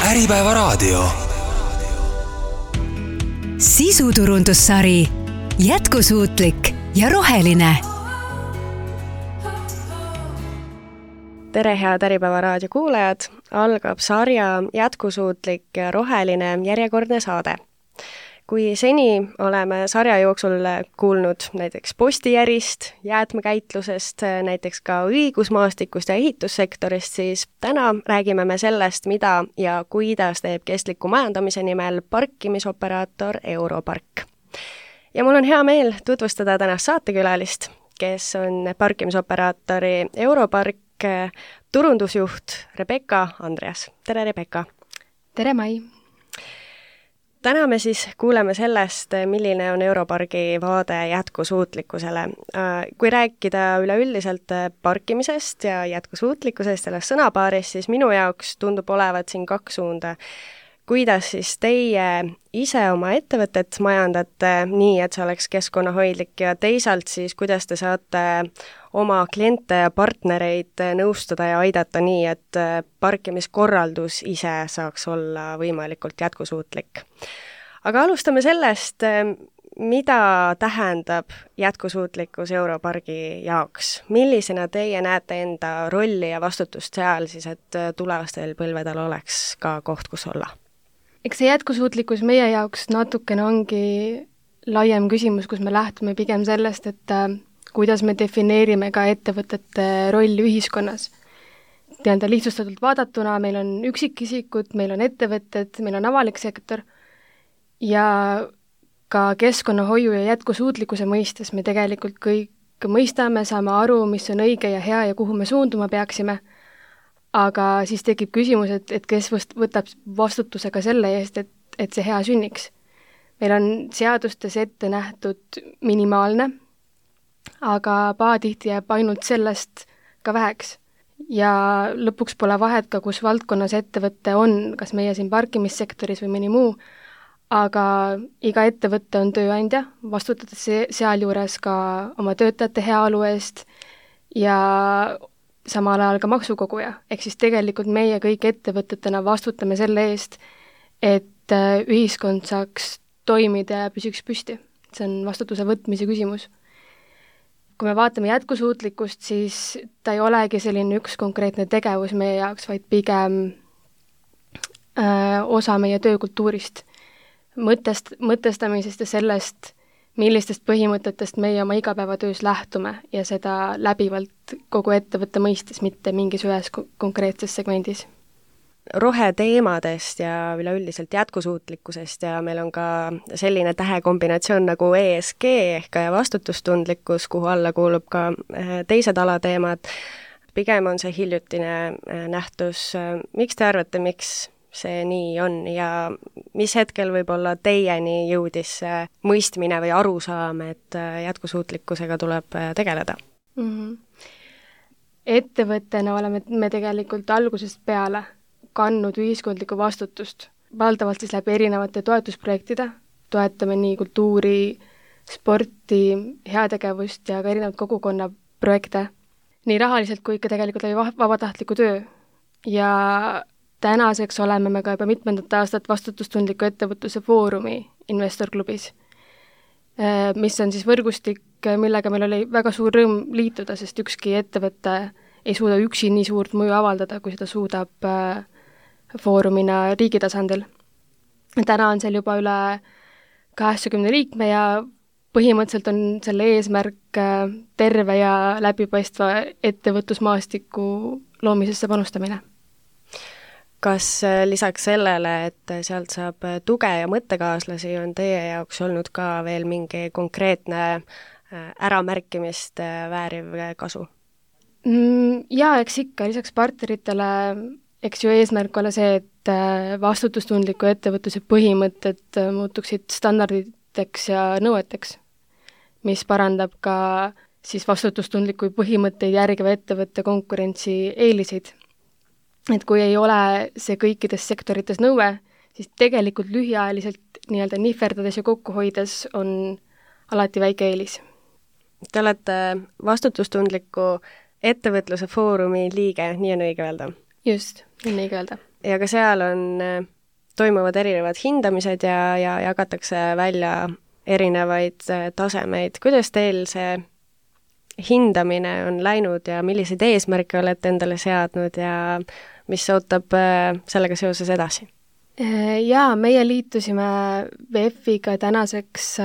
Äripäevaraadio. Sisuturundussari Jätkusuutlik ja roheline. Tere, head Äripäevaraadio kuulajad! Algab sarja Jätkusuutlik ja roheline järjekordne saade. Kui seni oleme sarja jooksul kuulnud näiteks postijärist, jäätmekäitlusest, näiteks ka õigusmaastikust ja ehitussektorist, siis täna räägime me sellest, mida ja kuidas teeb kestliku majandamise nimel parkimisoperaator Europark. Ja mul on hea meel tutvustada tänast saatekülalist, kes on parkimisoperaatori Europark turundusjuht Rebecca Andreas. Tere, Rebecca! Tere, Mai! Täna me siis kuuleme sellest, milline on Europargi vaade jätkusuutlikkusele. Kui rääkida üleüldiselt parkimisest ja jätkusuutlikkusest selles sõnapaarist, siis minu jaoks tundub olevat siin kaks suunda. Kuidas siis teie ise oma ettevõtet majandate nii, et see oleks keskkonnahoidlik ja teisalt siis, kuidas te saate oma kliente ja partnereid nõustada ja aidata nii, et parkimiskorraldus ise saaks olla võimalikult jätkusuutlik. Aga alustame sellest, mida tähendab jätkusuutlikkus Europargi jaoks. Millisena teie näete enda rolli ja vastutust seal siis, et tulevastel põlvedel oleks ka koht, kus olla? Eks see jätkusuutlikkus meie jaoks natukene ongi laiem küsimus, kus me lähtume pigem sellest, et kuidas me defineerime ka ettevõtete rolli ühiskonnas. Lihtsustatult vaadatuna meil on üksikisikud, meil on ettevõtted, meil on avalik sektor ja ka keskkonnahoiu ja jätkusuutlikkuse mõistes me tegelikult kõik mõistame, saame aru, mis on õige ja hea ja kuhu me suunduma peaksime. Aga siis tekib küsimus, et kes võtab vastutuse ka selle eest, et see hea sünniks. Meil on seadustes ette nähtud minimaalne, aga pahatihti jääb ainult sellest ka väheks. Ja lõpuks pole vahet ka, kus valdkonnas ettevõte on, kas meie siin parkimissektoris või mõni muu, aga iga ettevõte on tööandja, vastutades sealjuures ka oma töötajate heaolu eest ja samal ajal ka maksukoguja. Ehk siis tegelikult meie kõik ettevõtetena vastutame selle eest, et ühiskond saaks toimida ja püsiks püsti. See on vastutuse võtmise küsimus. Kui me vaatame jätkusuutlikkust, siis ta ei olegi selline üks konkreetne tegevus meie jaoks, vaid pigem osa meie töökultuurist, mõtestamisest ja sellest, millistest põhimõtetest meie oma igapäevatöös lähtume ja seda läbivalt kogu ettevõtte mõistes, mitte mingis ühes konkreetses segmendis. Roheteemadest ja üleüldiselt jätkusuutlikkusest ja meil on ka selline tähekombinatsioon nagu ESG ehk vastutustundlikkus, kuhu alla kuulub ka teised alateemad. Pigem on see hiljutine nähtus. Miks te arvate, miks see nii on ja mis hetkel võib-olla teieni jõudis mõistmine või arusaam, et jätkusuutlikkusega tuleb tegeleda? Ettevõttena oleme me tegelikult algusest peale kandnud ühiskondlikku vastutust. Valdavalt siis läbi erinevate toetusprojektide. Toetame nii kultuuri, sporti, heategevust ja ka erinevad kogukonna projekte. Nii rahaliselt kui ka tegelikult läbi vabatahtliku töö. Ja tänaseks oleme me ka juba mitmendat aastat vastutustundliku ettevõtluse foorumi investorklubis, mis on siis võrgustik, millega meil oli väga suur rõõm liituda, sest ükski ettevõte ei suuda üksi nii suurt mõju avaldada, kui seda suudab foorumina riigi tasandil. Täna on seal juba üle 80 liikme ja põhimõtteliselt on selle eesmärk terve ja läbipaistva ettevõtlusmaastiku loomisesse panustamine. Kas lisaks sellele, et sealt saab tuge ja mõttekaaslasi, on teie jaoks olnud ka veel mingi konkreetne äramärkimist vääriv kasu? Jaa, eks ikka, lisaks partneritele, eks ju eesmärk ole see, et vastutustundliku ettevõtluse põhimõtted muutuksid standarditeks ja nõueteks, mis parandab ka siis vastutustundliku põhimõtteid järgiva ettevõtte konkurentsi eeliseid. Et kui ei ole see kõikides sektorites nõue, siis tegelikult lühiajaliselt nii-öelda nihverdades ja kokku hoides on alati väike eelis. Te olete vastutustundliku ettevõtluse foorumi liige, nii on õige öelda? Just, nii on õige öelda. ja ka seal on, toimuvad erinevad hindamised ja jagatakse välja erinevaid tasemeid. Kuidas teil see hindamine on läinud ja milliseid eesmärke olete endale seadnud ja mis ootab sellega seoses edasi? Jaa, meie liitusime VEF-iga tänaseks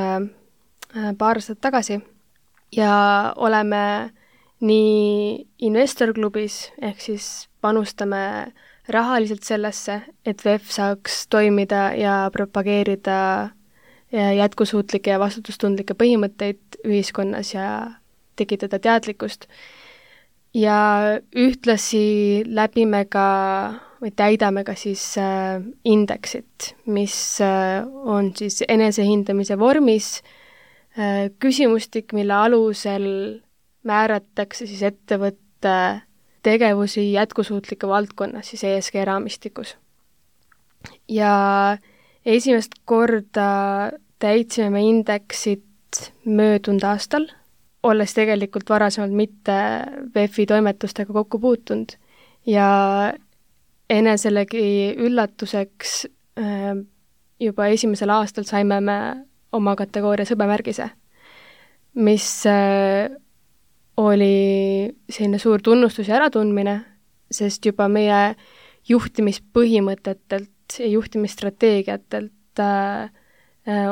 paar aastat tagasi ja oleme nii investorklubis, ehk siis panustame rahaliselt sellesse, et VEF saaks toimida ja propageerida jätkusuutlikke ja vastutustundlikke põhimõtteid ühiskonnas ja tekitada teadlikkust. Ja ühtlasi läbime ka või täidame ka siis indeksit, mis on siis enesehindamise vormis küsimustik, mille alusel määratakse siis ettevõtte tegevusi jätkusuutlike valdkonnas, siis ESG raamistikus. Ja esimest korda täitsime me indeksit möödunud aastal, olles tegelikult varasemalt mitte VEF-i toimetustega kokku puutunud ja eneselegi üllatuseks juba esimesel aastal saime me oma kategooria hõbemärgise, mis oli selline suur tunnustus ja äratundmine, sest juba meie juhtimispõhimõtetelt ja juhtimisstrateegiatelt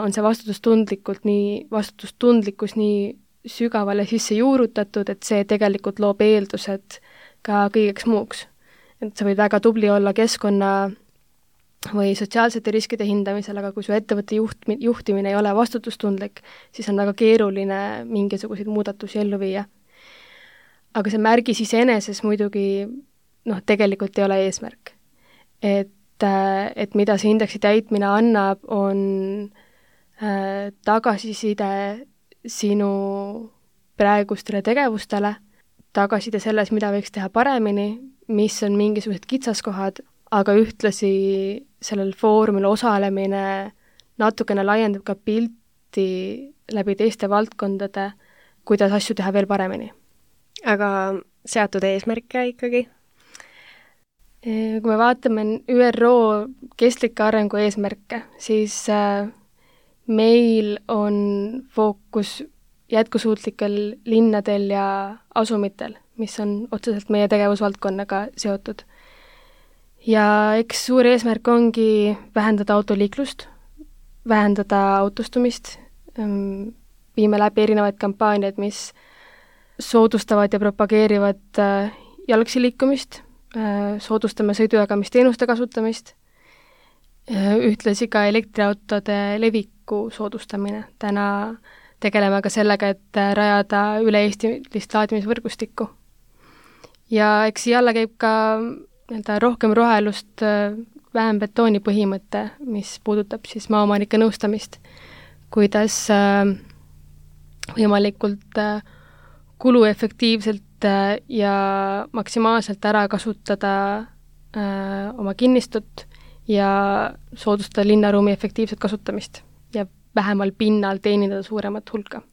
on see vastutustundlikkus nii sügavale sisse juurutatud, et see tegelikult loob eeldused ka kõigeks muuks. Et sa võid väga tubli olla keskkonna või sotsiaalsete riskide hindamisel, aga kui su ettevõtte juhtimine ei ole vastutustundlik, siis on väga keeruline mingisuguseid muudatusi ellu viia. Aga see märgis iseeneses muidugi tegelikult ei ole eesmärk. Et mida see indeksi täitmine annab, on tagasiside sinu praegustele tegevustele, tagasiside selles, mida võiks teha paremini, mis on mingisugused kitsaskohad, aga ühtlasi sellel foorumil osalemine natukene laiendab ka pilti läbi teiste valdkondade, kuidas asju teha veel paremini. Aga seatud eesmärke ikkagi? Kui me vaatame ÜRO kestlikke arengu eesmärke, siis meil on fookus jätkusuutlikel linnadel ja asumitel, mis on otseselt meie tegevusvaldkonnaga seotud. Ja eks suur eesmärk ongi vähendada autoliiklust, vähendada autostumist, viime läbi erinevaid kampaaniaid, mis soodustavad ja propageerivad jalgsi liikumist, soodustame sõidujagamisteenuste kasutamist, ühtlasi ka elektriautode leviku soodustamine. Täna tegeleme ka sellega, et rajada üle-eestilist laadimisvõrgustikku. Ja eks jälle käib ka rohkem rohelust, vähem betooni põhimõte, mis puudutab siis maaomanike nõustamist, kuidas võimalikult kuluefektiivselt ja maksimaalselt ära kasutada oma kinnistut ja soodustada linnaruumi efektiivset kasutamist ja vähemal pinnal teenindada suuremat hulka,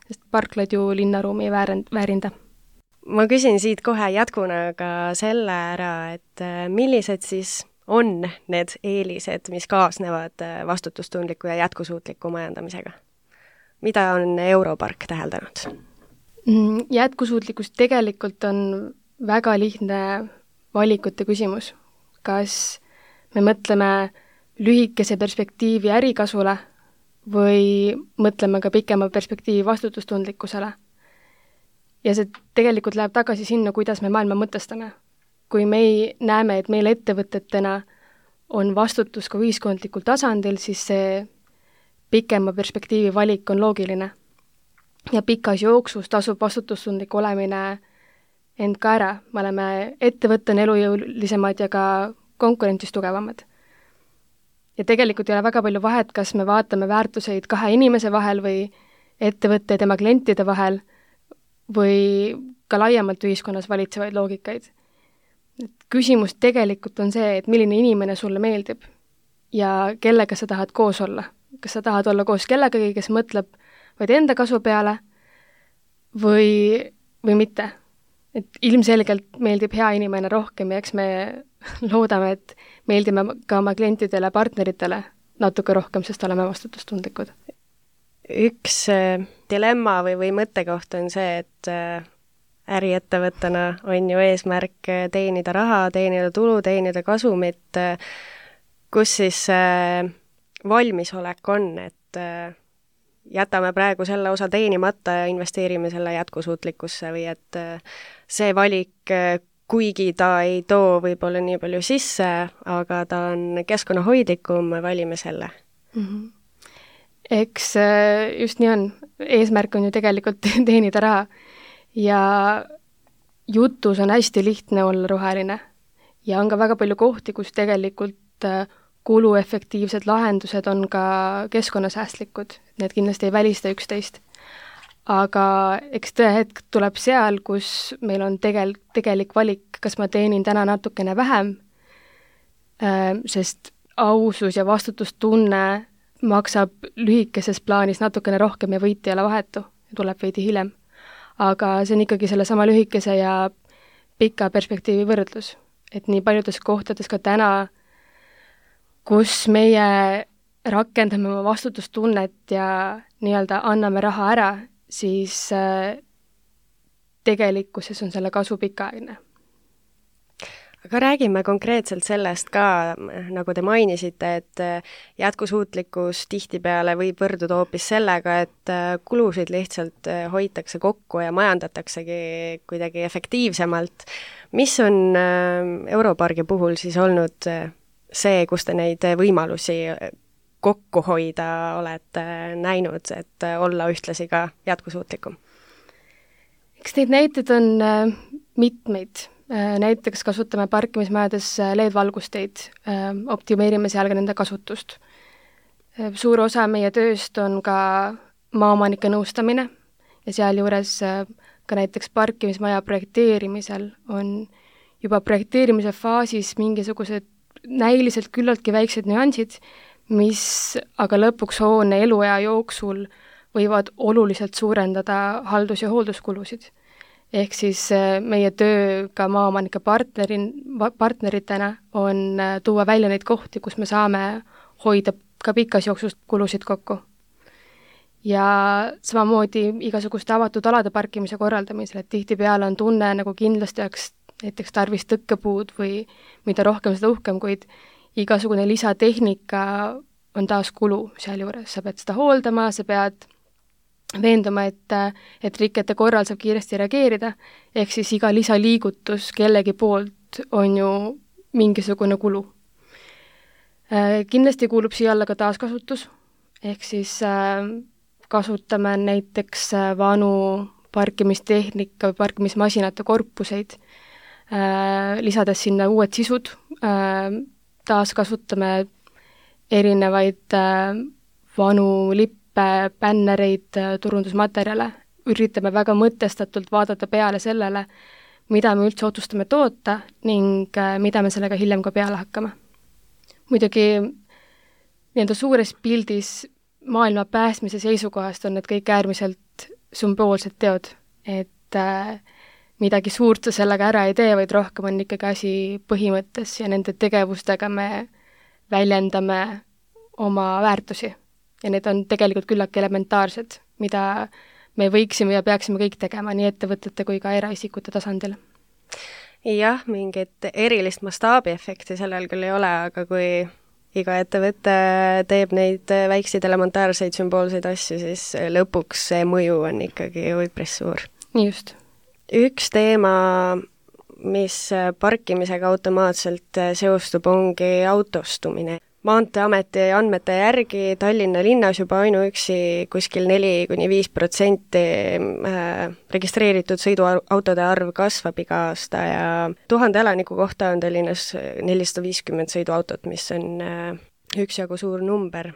sest parklad ju linnaruumi ei väärinda. Ma küsin siit kohe jätkuna ka selle ära, et millised siis on need eelised, mis kaasnevad vastutustundliku ja jätkusuutliku majandamisega? Mida on Europark täheldanud? Jätkusuutlikkus tegelikult on väga lihtne valikute küsimus. Kas me mõtleme lühikese perspektiivi ärikasule või mõtleme ka pikema perspektiivi vastutustundlikkusele? Ja see tegelikult läheb tagasi sinna, kuidas me maailma mõtestame. Kui me näeme, et meil ettevõtetena on vastutus ka ühiskondlikul tasandil, siis see pikema perspektiivi valik on loogiline. Ja pikas jooksus tasub vastutustundlik olemine end ka ära. Me oleme ettevõttena elujõulisemad ja ka konkurentsis tugevamad. Ja tegelikult ei ole väga palju vahet, kas me vaatame väärtuseid kahe inimese vahel või ettevõtte ja tema klientide vahel või ka laiemalt ühiskonnas valitsevaid loogikaid. Küsimus tegelikult on see, et milline inimene sulle meeldib ja kellega sa tahad koos olla. Kas sa tahad olla koos kellegagi, kes mõtleb vaid enda kasu peale või mitte. Et ilmselgelt meeldib hea inimene rohkem ja eks me loodame, et meeldime ka oma klientidele, partneritele natuke rohkem, sest oleme vastutustundlikud. Üks dilemma või mõttekoht on see, et äriettevõttena on ju eesmärk teenida raha, teenida tulu, teenida kasumit, kus siis valmisolek on, et jätame praegu selle osa teenimata ja investeerime selle jätkusuutlikkusse või et see valik, kuigi ta ei too võib-olla nii palju sisse, aga ta on keskkonnahoidlikum, valime selle. Eks just nii on. Eesmärk on ju tegelikult teenida raha ja jutus on hästi lihtne olla roheline ja on ka väga palju kohti, kus tegelikult kuluefektiivsed lahendused on ka keskkonnasäästlikud. Need kindlasti ei välista üksteist. Aga eks tõehetk tuleb seal, kus meil on tegelik valik, kas ma teenin täna natukene vähem, sest ausus ja vastutustunne maksab lühikeses plaanis natukene rohkem ja võit ei ole vahetu ja tuleb veidi hiljem. Aga see on ikkagi selle sama lühikese ja pika perspektiivi võrdlus. Et nii paljudes kohtades ka täna, kus meie rakendame oma vastutustunnet ja nii-öelda anname raha ära, siis tegelikkuses on selle kasu pikaajaline. Aga räägime konkreetselt sellest ka, nagu te mainisite, et jätkusuutlikkus tihtipeale võib võrduda hoopis sellega, et kulusid lihtsalt hoitakse kokku ja majandataksegi kuidagi efektiivsemalt. Mis on Europargi puhul siis olnud see, kus te neid võimalusi kokku hoida olete näinud, et olla ühtlasi ka jätkusuutlikum? Eks neid näiteid on mitmeid. Näiteks kasutame parkimismajades LED-valgusteid, optimeerime seal ka nende kasutust. Suur osa meie tööst on ka maaomanike nõustamine ja sealjuures ka näiteks parkimismaja projekteerimisel on juba projekteerimise faasis mingisugused näiliselt küllaltki väiksed nüansid, mis aga lõpuks hoone eluea jooksul võivad oluliselt suurendada haldus- ja hoolduskulusid. Ehk siis meie töö ka maaomanike partneritena on tuua välja neid kohti, kus me saame hoida ka pikas jooksus kulusid kokku. Ja samamoodi igasuguste avatud alade parkimise korraldamisel, et tihtipeale on tunne, nagu kindlasti oleks näiteks tarvis tõkkepuud või mida rohkem, seda uhkem, kuid igasugune lisatehnika on taas kulu sealjuures. Sa pead seda hooldama, sa pead veenduma, et rikete korral saab kiiresti reageerida, ehk siis iga lisaliigutus kellegi poolt on ju mingisugune kulu. Kindlasti kuulub siia alla ka taaskasutus, ehk siis kasutame näiteks vanu parkimistehnika või parkimismasinate korpuseid, lisades sinna uued sisud, taaskasutame erinevaid vanu lippe, bännereid, turundusmaterjale, üritame väga mõtestatult vaadata peale sellele, mida me üldse otsustame toota ning mida me sellega hiljem ka peale hakkame. Muidugi nii-enda suures pildis maailma päästmise seisukohast on need kõik äärmiselt sümboolsed teod, et midagi suurt sa sellega ära ei tee, vaid rohkem on ikkagi asi põhimõttes ja nende tegevustega me väljendame oma väärtusi. Ja need on tegelikult küllaki elementaarsed, mida me võiksime ja peaksime kõik tegema nii ettevõtete kui ka eraisikute tasandil. Jah, mingit erilist mastaabiefekti sellel küll ei ole, aga kui iga ettevõte teeb neid väikseid elementaarseid sümboolseid asju, siis lõpuks see mõju on ikkagi üpris suur. Nii just. Üks teema, mis parkimisega automaatselt seostub, ongi autostumine. Maanteeameti andmete järgi Tallinna linnas juba ainuüksi kuskil 4–5% registreeritud sõiduautode arv kasvab iga aasta ja 1000 elaniku kohta on Tallinnas 450 sõiduautot, mis on üksjagu suur number.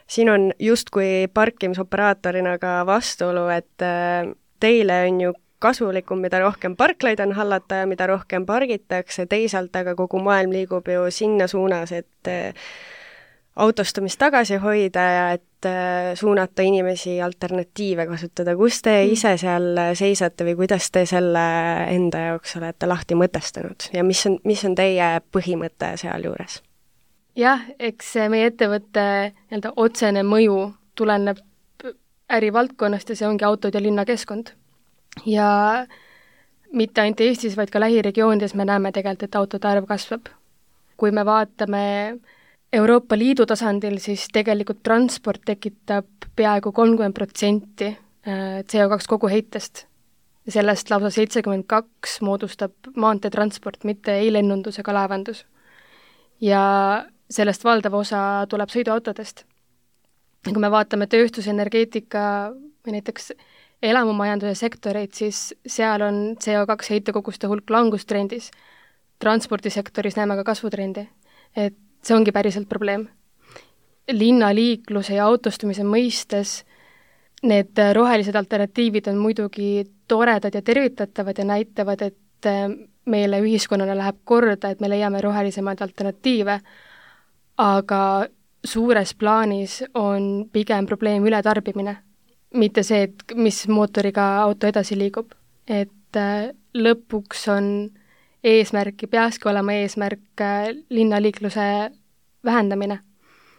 Siin on justkui parkimisoperaatorina ka vastuolu, et teile on ju kasulikum, mida rohkem parklaid on hallata ja mida rohkem pargitakse, teisalt aga kogu maailm liigub ju sinna suunas, et autostumist tagasi hoida ja et suunata inimesi alternatiive kasutada. Kus te ise seal seisate või kuidas te selle enda jaoks olete lahti mõtestanud ja mis on teie põhimõte seal juures? Jah, eks meie ettevõtte nii-öelda otsene mõju tuleneb ärivaldkonnast ja see ongi autod ja linnakeskkond. Ja mitte ainult Eestis, vaid ka lähiregioonides me näeme tegelikult, et autode arv kasvab. Kui me vaatame Euroopa Liidu tasandil, siis tegelikult transport tekitab peaaegu 30% CO2 koguheitest. Sellest lausa 72% moodustab maanteetransport, mitte ei lennundus ega laevandus. Ja sellest valdav osa tuleb sõiduautodest. Kui me vaatame tööstusenergeetika või näiteks elamumajanduse sektoreid, siis seal on CO2 heitekoguste hulk langustrendis. Transpordisektoris näeme ka kasvutrendi. Et see ongi päriselt probleem. Linnaliikluse ja autostumise mõistes need rohelised alternatiivid on muidugi toredad ja tervitatavad ja näitavad, et meile ühiskonnale läheb korda, et me leiame rohelisemaid alternatiive, aga suures plaanis on pigem probleem ületarbimine. Mitte see, et mis mootoriga auto edasi liigub. Et lõpuks on eesmärk, peakski olema eesmärk linnaliikluse vähendamine.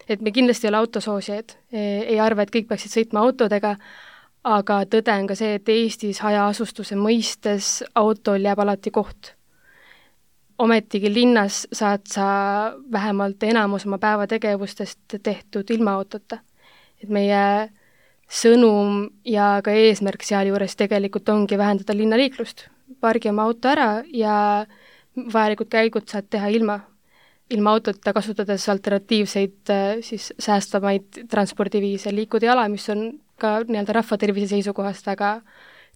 Et me kindlasti ei ole autosoosijad, ei arva, et kõik peaksid sõitma autodega, aga tõde on ka see, et Eestis hajaasustuse mõistes autol jääb alati koht. Ometigi linnas saad sa vähemalt enamus oma päevategevustest tehtud ilma autota. Et meie sõnum ja ka eesmärk sealjuures tegelikult ongi vähendada linnaliiklust. Pargi oma auto ära ja vajalikud käigud saad teha ilma autota, kasutades alternatiivseid siis säästvamaid transpordiviise, liikuda jala, mis on ka nii-öelda rahvatervise seisukohast väga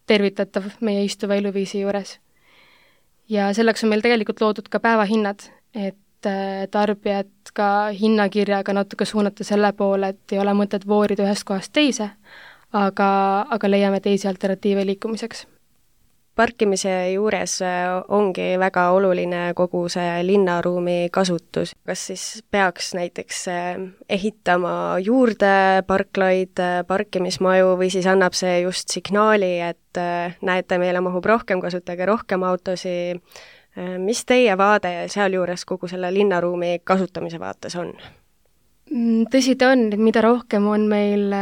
tervitatav meie istuva eluviisi juures. Ja selleks on meil tegelikult loodud ka päevahinnad, et tarbijad ka hinnakirjaga natuke suunata selle poole, et ei ole mõtet voorida ühest kohast teise, aga leiame teisi alternatiive liikumiseks. Parkimise juures ongi väga oluline kogu see linnaruumi kasutus. Kas siis peaks näiteks ehitama juurde parklaid, parkimismaju või siis annab see just signaali, et näete, meile mahub rohkem, kasutage rohkem autosi. Mis teie vaade sealjuures kogu selle linnaruumi kasutamise vaates on? Tõsi ta on, et mida rohkem on meil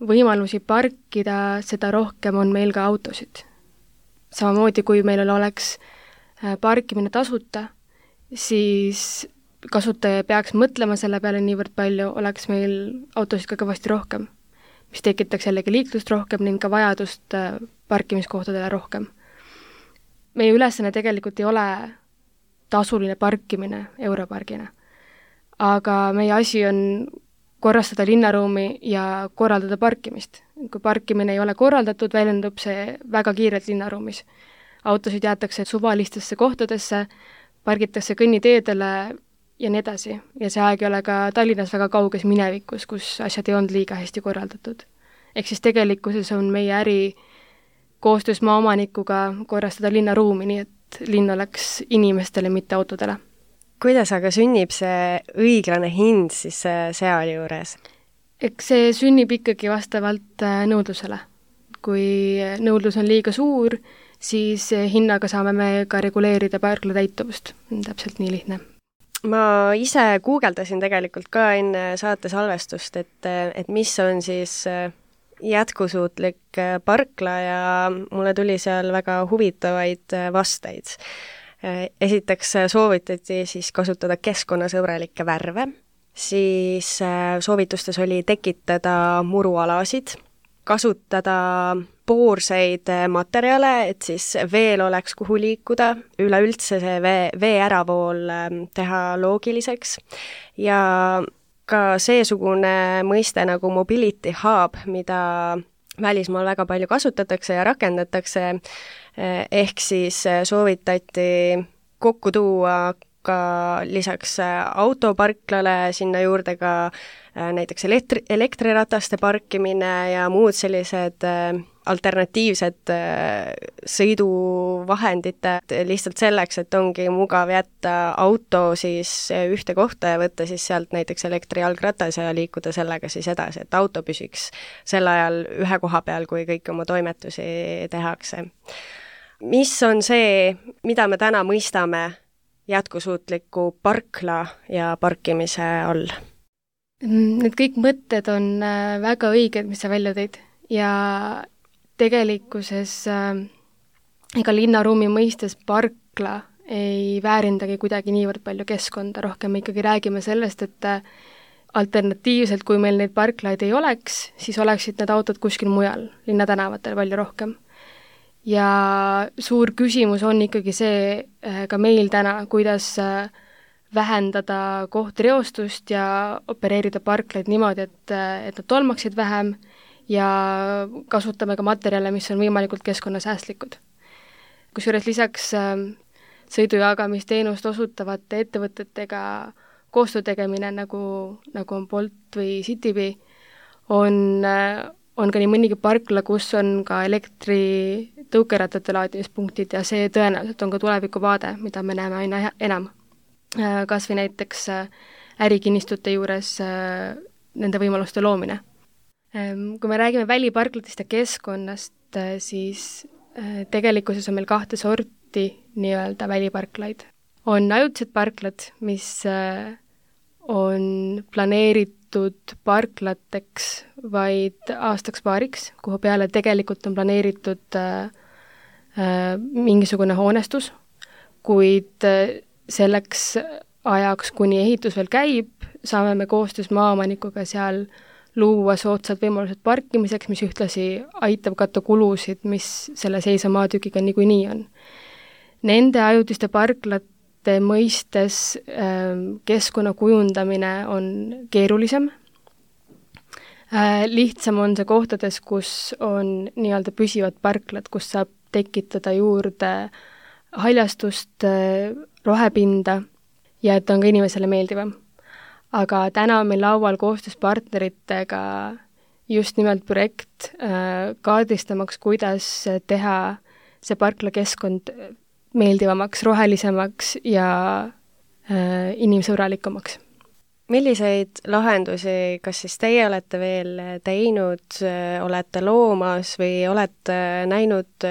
võimalusi parkida, seda rohkem on meil ka autosid. Samamoodi, kui meil oleks parkimine tasuta, siis kasutaja peaks mõtlema selle peale niivõrd palju, oleks meil autosid ka kõvasti rohkem, mis tekitaks jällegi liiklust rohkem ning ka vajadust parkimiskohtadele rohkem. Meie ülesanne tegelikult ei ole tasuline parkimine Europargina, aga meie asi on korrastada linnaruumi ja korraldada parkimist. Kui parkimine ei ole korraldatud, väljendub see väga kiirelt linnaruumis. Autosid jäetakse suvalistesse kohtadesse, pargitakse kõnniteedele ja nii edasi. Ja see aeg ei ole ka Tallinnas väga kauges minevikus, kus asjad ei olnud liiga hästi korraldatud. Ehk siis tegelikkuses on meie äri koostöös maaomanikuga korrastada linnaruumi, nii et linn oleks inimestele, mitte autodele. Kuidas aga sünnib see õiglane hind siis seal juures? Eks see sünnib ikkagi vastavalt nõudlusele. Kui nõudlus on liiga suur, siis hinnaga saame me ka reguleerida parkla täituvust. Täpselt nii lihtne. Ma ise guugeldasin tegelikult ka enne saate salvestust, et mis on siis jätkusuutlik parkla ja mulle tuli seal väga huvitavaid vasteid. Esiteks soovitati siis kasutada keskkonnasõbralikke värve, siis soovitustes oli tekitada murualasid, kasutada poorseid materjale, et siis veel oleks kuhu liikuda, üleüldse see vee äravool teha loogiliseks ja ka seesugune mõiste nagu mobility hub, mida välismaal väga palju kasutatakse ja rakendatakse, ehk siis soovitati kokku tuua ka lisaks autoparklale sinna juurde ka näiteks elektrirataste parkimine ja muud sellised alternatiivsed sõiduvahendid lihtsalt selleks, et ongi mugav jätta auto siis ühte kohta ja võtta siis sealt näiteks elektrijalgratas ja liikuda sellega siis edasi, et auto püsiks sel ajal ühe koha peal, kui kõik oma toimetusi tehakse. Mis on see, mida me täna mõistame jätkusuutliku parkla ja parkimise all? Need kõik mõtted on väga õiged, mis sa välja tõid ja tegelikkuses ega linnaruumi mõistes parkla ei väärindagi kuidagi niivõrd palju keskkonda, rohkem me ikkagi räägime sellest, et alternatiivselt, kui meil neid parklaid ei oleks, siis oleksid need autod kuskil mujal, linnatänavatel palju rohkem. Ja suur küsimus on ikkagi see ka meil täna, kuidas vähendada kohtreostust ja opereerida parklaid niimoodi, et nad tolmaksid vähem ja kasutame ka materjale, mis on võimalikult keskkonnasäästlikud. Kusjuures lisaks sõidujagamisteenust osutavate ettevõtetega koostöö tegemine, nagu on Bolt või Citybee, on ka nii mõnigi parkla, kus on ka elektritõukerattate laadimispunktid ja see tõenäoliselt on ka tulevikuvaade, mida me näeme aina enam. Kas või näiteks ärikinnistute juures nende võimaluste loomine. Kui me räägime väliparklatest ja keskkonnast, siis tegelikkuses on meil 2 sorti nii-öelda väliparklaid. On ajutised parklad, mis on planeeritud parklateks vaid aastaks-paariks, kuhu peale tegelikult on planeeritud mingisugune hoonestus, kuid selleks ajaks, kuni ehitus veel käib, saame me koostöös maaomanikuga seal luua soodsad võimalused parkimiseks, mis ühtlasi aitab katta kulusid, mis selle seisa maatükiga niikuinii on. Nende ajutiste parklate mõistes keskkonna kujundamine on keerulisem. Lihtsam on see kohtades, kus on nii-öelda püsivad parklad, kus saab tekitada juurde haljastust, rohepinda ja et on ka inimesele meeldivam. Aga täna on meil laual koostöös partneritega just nimelt projekt kaardistamaks, kuidas teha see parklakeskkond meeldivamaks, rohelisemaks ja inimsõbralikumaks. Milliseid lahendusi, kas siis teie olete veel teinud, olete loomas või olete näinud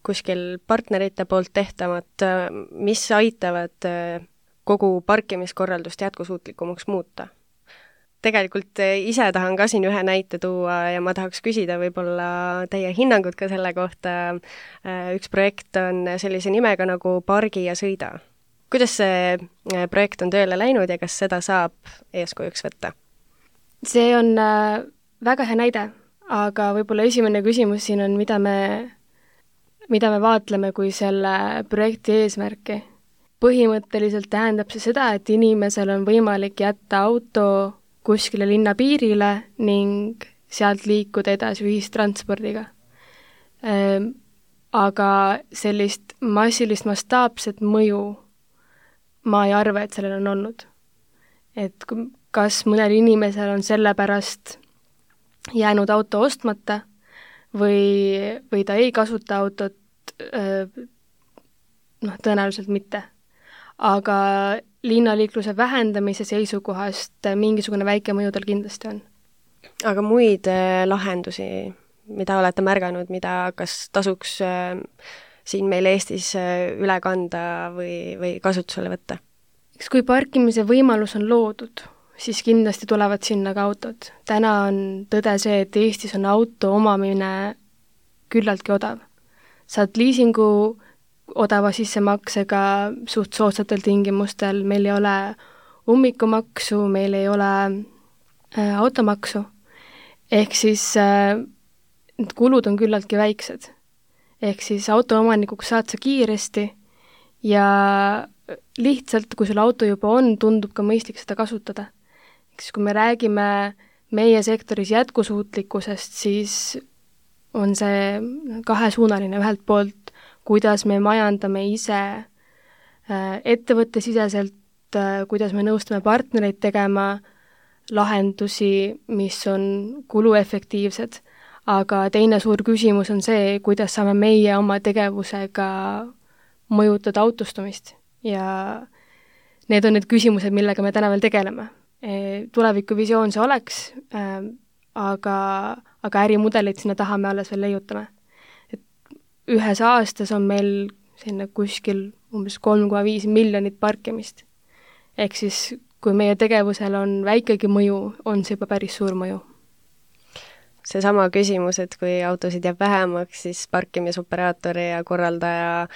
kuskil partnerite poolt tehtavat, mis aitavad kogu parkimiskorraldust jätkusuutlikumaks muuta? Tegelikult ise tahan ka siin ühe näite tuua ja ma tahaks küsida võib-olla teie hinnangut ka selle kohta. Üks projekt on sellise nimega nagu Pargi ja sõida. Kuidas see projekt on tööle läinud ja kas seda saab eeskujuks võtta? See on väga hea näide, aga võib-olla esimene küsimus siin on, mida me vaatleme kui selle projekti eesmärki. Põhimõtteliselt tähendab see seda, et inimesel on võimalik jätta auto kuskile linna piirile ning sealt liikuda edasi ühistranspordiga. Aga sellist massilist mastaapset mõju ma ei arva, et sellel on olnud. Et kas mõnel inimesel on sellepärast jäänud auto ostmata või ta ei kasuta autot, tõenäoliselt mitte. Aga linnaliikluse vähendamise seisukohast mingisugune väike mõju tal kindlasti on. Aga muid lahendusi, mida olete märganud, mida kas tasuks siin meil Eestis üle kanda või kasutusele võtta? Eks kui parkimise võimalus on loodud, siis kindlasti tulevad sinna ka autod. Täna on tõde see, et Eestis on auto omamine küllaltki odav. Saad liisingu odava sissemaksega suht soodsatel tingimustel, meil ei ole ummikumaksu, meil ei ole automaksu, ehk siis need kulud on küllaltki väiksed. Ehk siis autoomanikuks saad sa kiiresti ja lihtsalt, kui sul auto juba on, tundub ka mõistlik seda kasutada. Ehk siis kui me räägime meie sektoris jätkusuutlikkusest, siis on see kahesuunaline ühelt poolt, kuidas me majandame ise ettevõttesiseselt, kuidas me nõustame partnereid tegema lahendusi, mis on kuluefektiivsed, aga teine suur küsimus on see, kuidas saame meie oma tegevusega mõjutada autostumist ja need on need küsimused, millega me täna veel tegeleme. Tulevikuvisioon see oleks, aga ärimudelit sinna taha me alles veel leiutame. Et ühes aastas on meil sinna kuskil umbes 3,5 miljonit parkimist. Ehk siis, kui meie tegevusel on väikegi mõju, on see juba päris suur mõju. Seesama küsimus, et kui autosid jääb vähemaks, siis parkimisoperaatori ja korraldaja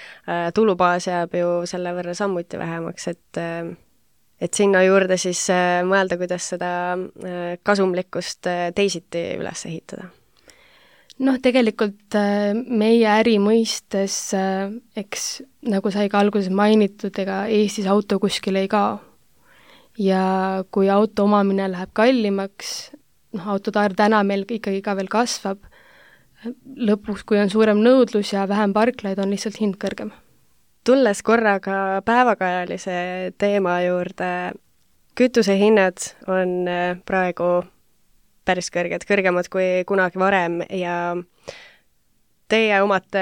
tulubaas jääb ju selle võrra sammuti vähemaks, et sinna juurde siis mõelda, kuidas seda kasumlikkust teisiti üles ehitada. Tegelikult meie äri mõistes, eks nagu sai ka alguses mainitud, ega Eestis auto kuskil ei kao. Ja kui auto omamine läheb kallimaks, autode arv täna meil ikkagi ka veel kasvab, lõpuks, kui on suurem nõudlus ja vähem parklaid, on lihtsalt hind kõrgem. Tulles korraga päevakajalise teema juurde, kütusehinnad on praegu päris kõrged, kõrgemad kui kunagi varem ja teie omate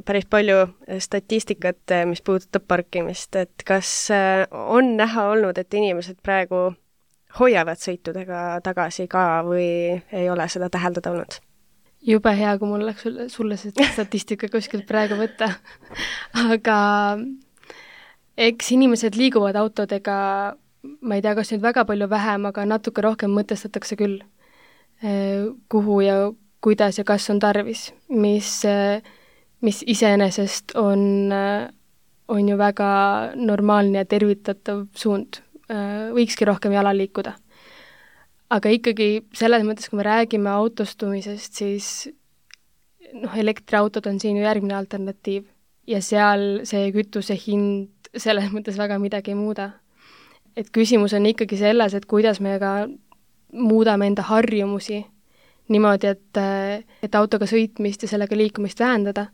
päris palju statistikat, mis puudutab parkimist, et kas on näha olnud, et inimesed praegu hoiavad sõitudega tagasi ka või ei ole seda täheldada olnud? Jube hea, kui mul oleks sulle see statistika kuskilt praegu võtta. Aga eks inimesed liiguvad autodega, ma ei tea, kas nüüd väga palju vähem, aga natuke rohkem mõtestatakse küll, kuhu ja kuidas ja kas on tarvis, mis iseenesest on ju väga normaalne ja tervitatav suund. Võikski rohkem jala liikuda. Aga ikkagi selles mõttes, kui me räägime autostumisest, siis elektriautod on siin ju järgmine alternatiiv ja seal see kütuse hind selles mõttes väga midagi ei muuda. Et küsimus on ikkagi selles, et kuidas me ka muudame enda harjumusi niimoodi, et autoga sõitmist ja sellega liikumist vähendada.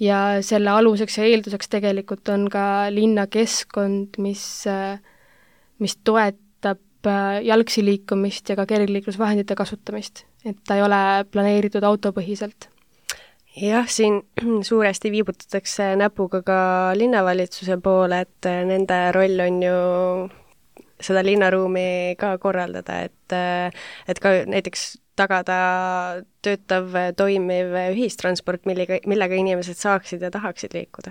Ja selle aluseks ja eelduseks tegelikult on ka linnakeskkond, mis toetab jalgsi liikumist ja ka kergliiklusvahendite kasutamist, et ta ei ole planeeritud autopõhiselt. Jah, siin suuresti viibutatakse näpuga ka linnavalitsuse poole, et nende roll on ju seda linnaruumi ka korraldada, et ka näiteks tagada töötav, toimiv ühistransport, millega inimesed saaksid ja tahaksid liikuda.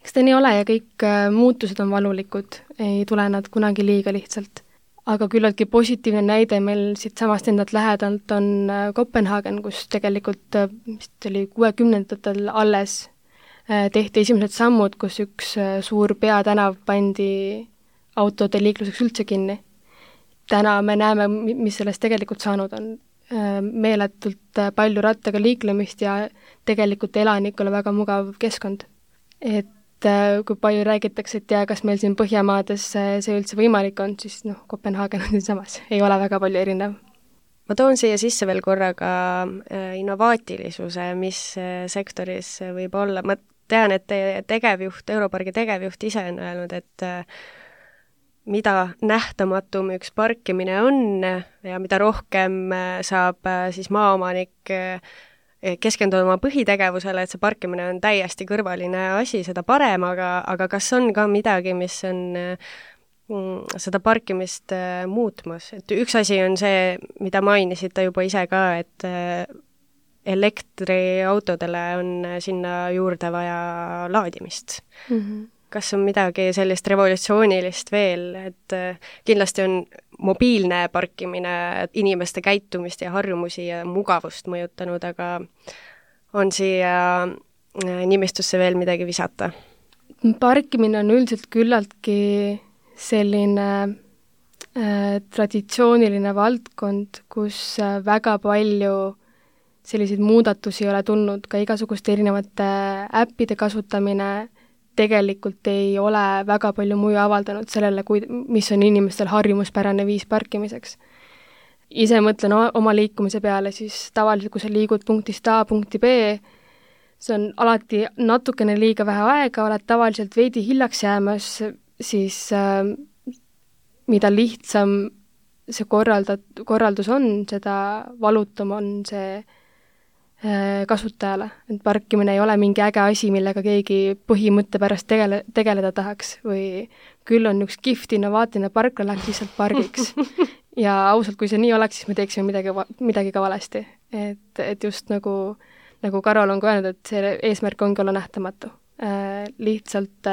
Eks ta nii ole ja kõik muutused on valulikud, ei tule nad kunagi liiga lihtsalt. Aga küllaltki positiivne näide meil siit samast endalt lähedalt on Kopenhaagen, kus tegelikult vist oli 60-ndatel alles tehti esimesed sammud, kus üks suur peatänav pandi autode liikluseks üldse kinni. Täna me näeme, mis sellest tegelikult saanud on. Meeletult palju rattaga liiklemist ja tegelikult elanikule väga mugav keskkond. Et kui palju räägitakse, et kas meil siin Põhjamaades see üldse võimalik on, siis Kopenhaagen on samas, ei ole väga palju erinev. Ma toon siia sisse veel korraga innovaatilisuse, mis sektoris võib olla. Ma tean, et Europargi tegevjuht ise on öelnud, et mida nähtamatum üks parkimine on ja mida rohkem saab siis maaomanik keskenduda oma põhitegevusele, et see parkimine on täiesti kõrvaline asi, seda parem, aga kas on ka midagi, mis on seda parkimist muutmas? Et üks asi on see, mida mainisite juba ise ka, et elektriautodele on sinna juurde vaja laadimist. Mm-hmm. Kas on midagi sellist revolutsioonilist veel, et kindlasti on mobiilne parkimine inimeste käitumist ja harjumusi ja mugavust mõjutanud, aga on siia nimistusse veel midagi visata? Parkimine on üldiselt küllaltki selline traditsiooniline valdkond, kus väga palju selliseid muudatusi ei ole tulnud, ka igasuguste erinevate äppide kasutamine tegelikult ei ole väga palju mõju avaldanud sellele, mis on inimestel harjumuspärane viis parkimiseks. Ise mõtlen oma liikumise peale, siis tavaliselt, kui sa liigud punktist A punkti B, see on alati natukene liiga vähe aega, oled tavaliselt veidi hiljaks jäämas, siis mida lihtsam see korraldus on, seda valutum on see kasutajale. Et parkimine ei ole mingi äge asi, millega keegi põhimõtte pärast tegeleda tahaks või küll on üks kihvt innovaatiline parkla, läheks lihtsalt pargiks. Ja ausalt, kui see nii oleks, siis me teeksime midagi ka valesti. Et just nagu Karol on ka öelnud, et see eesmärk ongi olla nähtamatu. Lihtsalt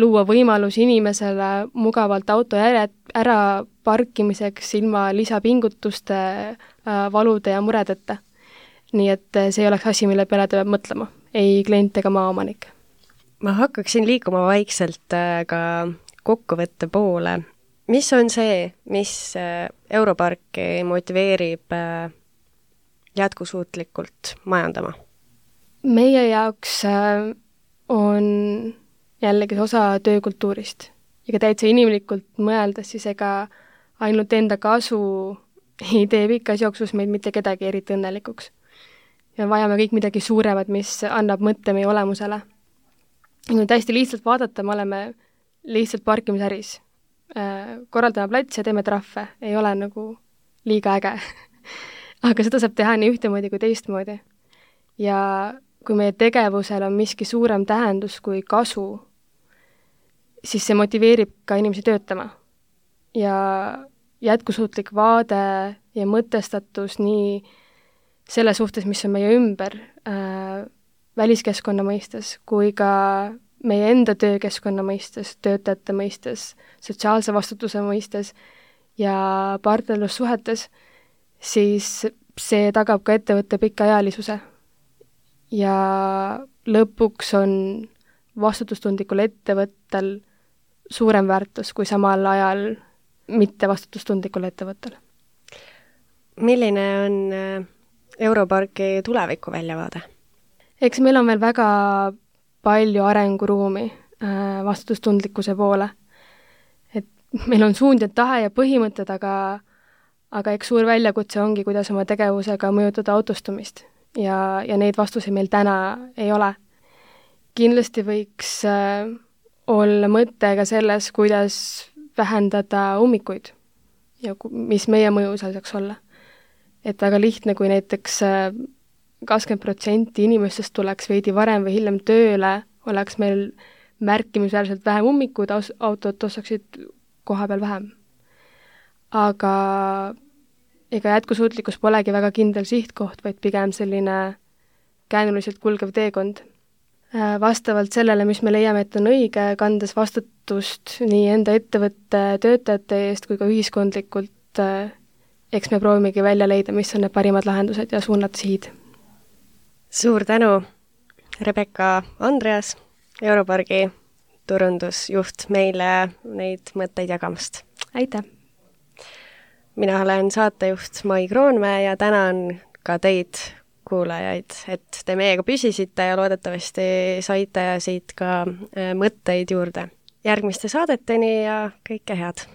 luua võimalus inimesele mugavalt auto ära parkimiseks ilma lisapingutuste, valude ja muredeta. Nii et see ei oleks asi, mille peale ta peab mõtlema, ei klient ega maaomanik. Ma hakkaksin liikuma vaikselt ka kokkuvõtte poole. Mis on see, mis Europarki motiveerib jätkusuutlikult majandama? Meie jaoks on jällegi osa töökultuurist. Ja täitsa inimlikult mõeldes, siis ega ainult enda kasu ei tee pikas jooksus meid mitte kedagi eriti õnnelikuks. Ja vajame kõik midagi suuremat, mis annab mõtte meie olemusele. Kui täiesti lihtsalt vaadata, me oleme lihtsalt parkimisäris. Korraldame plats ja teeme trahve. Ei ole nagu liiga äge. Aga seda saab teha nii ühtemoodi kui teistmoodi. Ja kui meie tegevusel on miski suurem tähendus kui kasu, siis see motiveerib ka inimesi töötama. Ja jätkusuutlik vaade ja mõtestatus nii selle suhtes, mis on meie ümber väliskeskkonna mõistes, kui ka meie enda töökeskkonna mõistes, töötajate mõistes, sotsiaalse vastutuse mõistes ja partnerlussuhetes, siis see tagab ka ettevõtte pikaajalisuse. Ja lõpuks on vastutustundlikul ettevõttel suurem väärtus kui samal ajal mitte vastutustundlikul ettevõttel. Milline on Europarki tuleviku väljavaade? Eks meil on veel väga palju arenguruumi vastutustundlikkuse poole. Et meil on suund ja tahe ja põhimõtted, aga eks suur väljakutse ongi, kuidas oma tegevusega mõjutada autostumist ja neid vastuseid meil täna ei ole. Kindlasti võiks olla mõte ka selles, kuidas vähendada ummikuid ja mis meie mõju seal saaks olla. Et väga lihtne, kui näiteks 20% inimestest tuleks veidi varem või hiljem tööle, oleks meil märkimisväärselt vähem ummikud, autod ostaksid koha peal vähem. Aga ega jätkusuutlikkus polegi väga kindel sihtkoht, vaid pigem selline käänuliselt kulgev teekond. Vastavalt sellele, mis me leiame, et on õige, kandes vastutust nii enda ettevõtte töötajate eest kui ka ühiskondlikult, eks me proovimegi välja leida, mis on need parimad lahendused ja suunata sihid. Suur tänu, Rebecca Andreas, Europargi turundusjuht, meile neid mõtteid jagamast. Aitäh! Mina olen saatejuht Mai Kroonmäe ja tänan ka teid, kuulajaid, et te meiega püsisite ja loodetavasti saite siit ka mõtteid juurde. Järgmiste saadeteni ja kõike head!